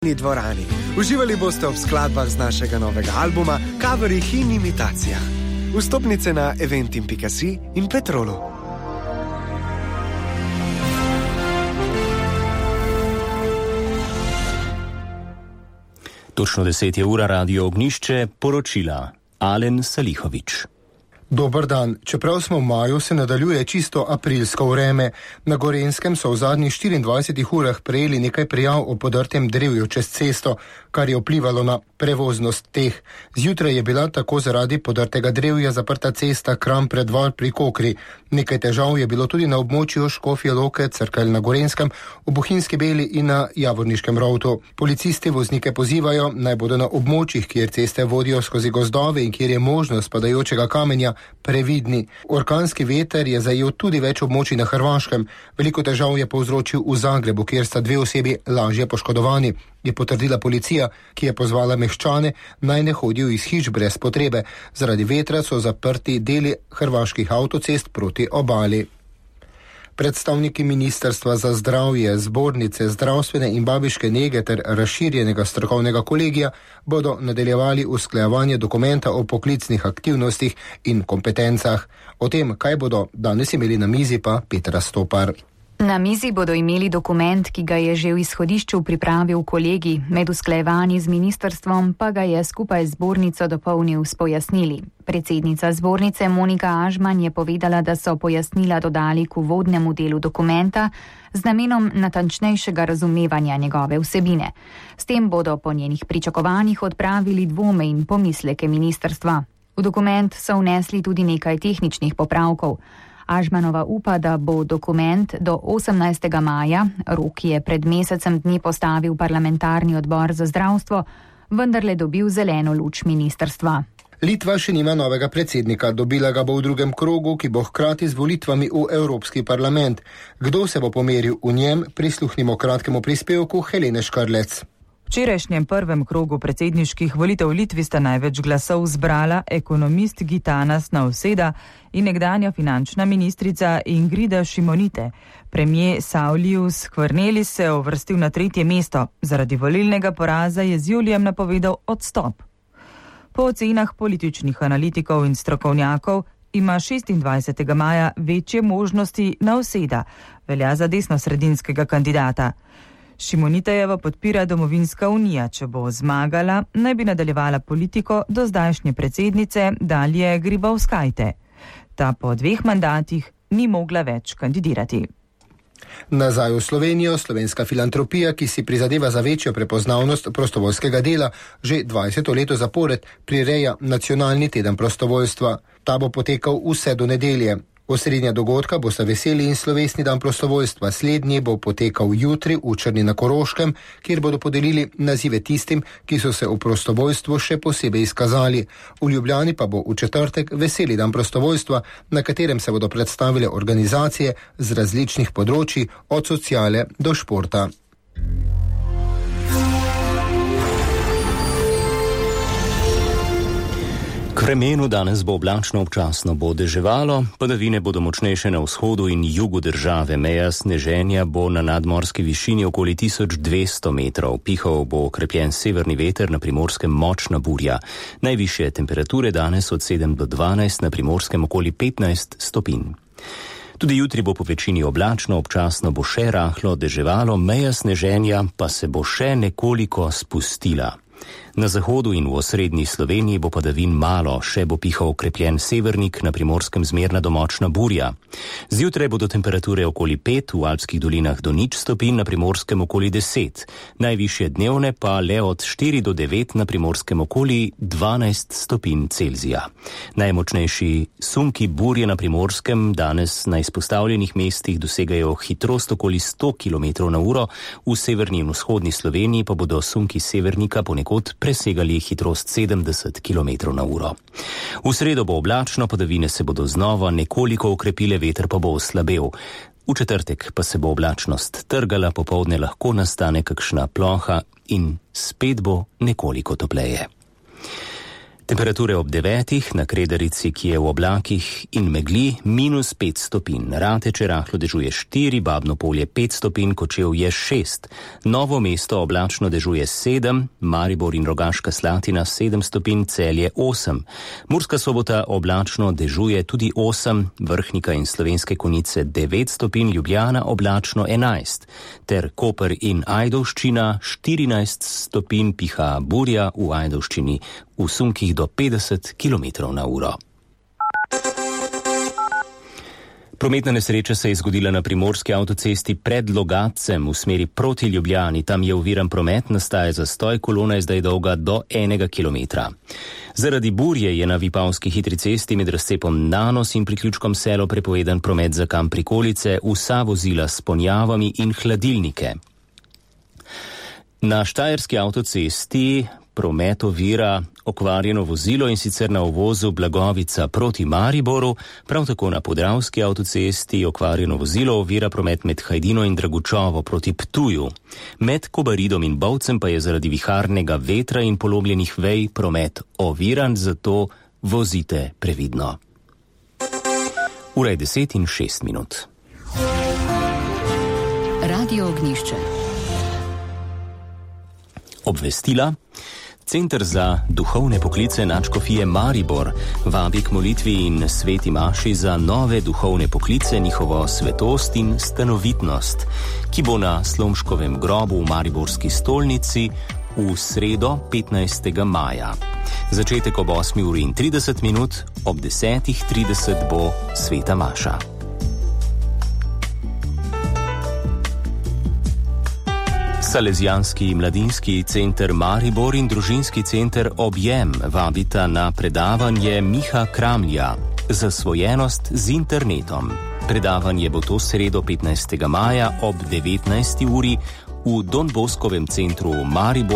dvorani. Uživali boste ob skladbah z našega novega albuma, coverih in imitacijah. Vstopnice na eventim.si in Petrolu. Točno 10 je ura, Radio Ognjišče, poročila Alen Salihovič. Dober dan. Čeprav smo v maju, se nadaljuje čisto aprilsko vreme. Na Gorenjskem so v zadnjih 24 urah prejeli nekaj prijav o podrtem drevju čez cesto, kar je vplivalo na prevoznost teh. Zjutraj je bila tako zaradi podrtega drevja zaprta cesta Kram-Predval pri Kokri. Nekaj težav je bilo tudi na območju Škofje Loke, Cerkelj na Gorenjskem, v Bohinjski Beli in na Javorniškem Rovtu. Policisti voznike pozivajo, naj bodo na območjih, kjer ceste vodijo skozi gozdove in kjer je možnost padajočega kamenja, previdni. Orkanski veter je zajel tudi več območij na Hrvaškem. Veliko težav je povzročil v Zagrebu, kjer sta 2 osebi lažje poškodovani, je potrdila policija, ki je pozvala meščane, naj ne hodijo iz hiš brez potrebe. Zaradi vetra so zaprti deli hrvaških avtocest proti obali. Predstavniki Ministrstva za zdravje, zbornice, zdravstvene in babiške nege ter razširjenega strokovnega kolegija bodo nadaljevali usklajevanje dokumenta o poklicnih aktivnostih in kompetencah. O tem, kaj bodo danes imeli na mizi, pa Petra Stopar. Na mizi bodo imeli dokument, ki ga je že v izhodišču pripravil kolegij, med usklajevanji z ministrstvom pa ga je skupaj z zbornico dopolnil s pojasnili. Predsednica zbornice Monika Ažman je povedala, da so pojasnila dodali k uvodnemu delu dokumenta z namenom natančnejšega razumevanja njegove vsebine. S tem bodo po njenih pričakovanjih odpravili dvome in pomisleke ministrstva. V dokument so vnesli tudi nekaj tehničnih popravkov. Ažmanova upa, da bo dokument do 18. maja, rok je pred mesecem dni postavil parlamentarni odbor za zdravstvo, vendarle dobil zeleno luč ministrstva. Litva še nima novega predsednika, dobila ga bo v drugem krogu, ki bo hkrati z volitvami v Evropski parlament. Kdo se bo pomeril v njem, prisluhnimo kratkemu prispevku Helene Škarlec. V včerajšnjem prvem krogu predsedniških volitev v Litvi sta največ glasov zbrala ekonomist Gitanas Nausėda in nekdanja finančna ministrica Ingrida Šimonytė. Premijer Saulius Skvernelis se je uvrstil na 3. mesto. Zaradi volilnega poraza je z julijem napovedal odstop. Po ocenah političnih analitikov in strokovnjakov ima 26. maja večje možnosti Nausėda, velja za desnosredinskega kandidata. Šimonytėjeva podpira Domovinska unija, če bo zmagala, naj bi nadaljevala politiko do zdajšnje predsednice Dalije Grybauskaite. Ta po 2 mandatih ni mogla več kandidirati. Nazaj v Slovenijo, slovenska filantropija, ki si prizadeva za večjo prepoznavnost prostovoljskega dela, že 20. leto zapored prireja nacionalni teden prostovoljstva. Ta bo potekal vse do nedelje. Osrednja dogodka bosta veseli in slovesni dan prostovoljstva. Slednji bo potekal jutri v Črni na Koroškem, kjer bodo podelili nazive tistim, ki so se v prostovoljstvu še posebej izkazali. V Ljubljani pa bo v četrtek veseli dan prostovoljstva, na katerem se bodo predstavile organizacije z različnih področji, od sociale do športa. K vremenu danes bo oblačno, občasno bo deževalo, padavine bodo močnejše na vzhodu in jugu države, meja sneženja bo na nadmorski višini okoli 1200 metrov, pihal bo okrepljen severni veter, na Primorskem močna burja. Najvišje temperature danes od 7 do 12, na Primorskem okoli 15 stopinj. Tudi jutri bo po večini oblačno, občasno bo še rahlo deževalo, meja sneženja pa se bo še nekoliko spustila. Na zahodu in v osrednji Sloveniji bo padavin malo, še bo pihal okrepljen severnik, na Primorskem zmerna do močna burja. Zjutraj bodo temperature okoli 5, v alpskih dolinah do 0 stopinj, na Primorskem okoli 10. Najvišje dnevne pa le od 4 do 9, na Primorskem okoli 12 stopinj Celzija. Najmočnejši sunki burje na Primorskem danes na izpostavljenih mestih dosegajo hitrost okoli 100 km/h, v severni in vzhodni Sloveniji pa bodo sunki severnika ponekod presegali hitrost 70 km/h. V sredo bo oblačno, padavine se bodo znova nekoliko okrepile, veter pa bo oslabel. V četrtek pa se bo oblačnost trgala, popoldne lahko nastane kakšna ploha in spet bo nekoliko topleje. Temperature ob 9, na Kredarici, ki je v oblakih in megli, -5 stopinj. Rateče rahlo dežuje 4, Babno Polje 5 stopinj, Kočevje 6. Novo mesto oblačno dežuje 7, Maribor in Rogaška Slatina 7 stopinj, Celje 8. Murska Sobota oblačno dežuje tudi 8, Vrhnika in Slovenske Konjice 9 stopinj, Ljubljana oblačno 11, ter Koper in Ajdovščina 14 stopinj, piha burja v Ajdovščini v sunkih do 50 km/h. Prometna nesreča se je zgodila na primorski avtocesti pred Logatcem v smeri proti Ljubljani. Tam je oviran promet, nastaja zastoj, kolona je zdaj dolga do 1 kilometra. Zaradi burje je na Vipavski hitri cesti med razcepom Nanos in priključkom Selo prepovedan promet za kam prikolice, vsa vozila s ponjavami in hladilnike. Na štajerski avtocesti promet ovira okvarjeno vozilo, in sicer na uvozu Blagovica proti Mariboru, prav tako na Podravski avtocesti okvarjeno vozilo ovira promet med Hajdino in Dragučovo proti Ptuju. Med Kobaridom in Bovcem pa je zaradi viharnega vetra in polomljenih vej promet oviran, zato vozite previdno. Ura je 10:06. Radio Ognjišče. Obvestila. Center za duhovne poklice Nadškofije Maribor vabi k molitvi in sveti maši za nove duhovne poklice, njihovo svetost in stanovitnost, ki bo na Slomškovem grobu v Mariborski stolnici v sredo 15. maja. Začetek ob 8:30, ob 10:30 bo sveta maša. Salezijanski mladinski center Maribor in družinski center Objem vabita na predavanje Miha Kramlja Zasvojenost z internetom. Predavanje bo to sredo 15. maja ob 19. uri v Don Boskovem centru Maribor.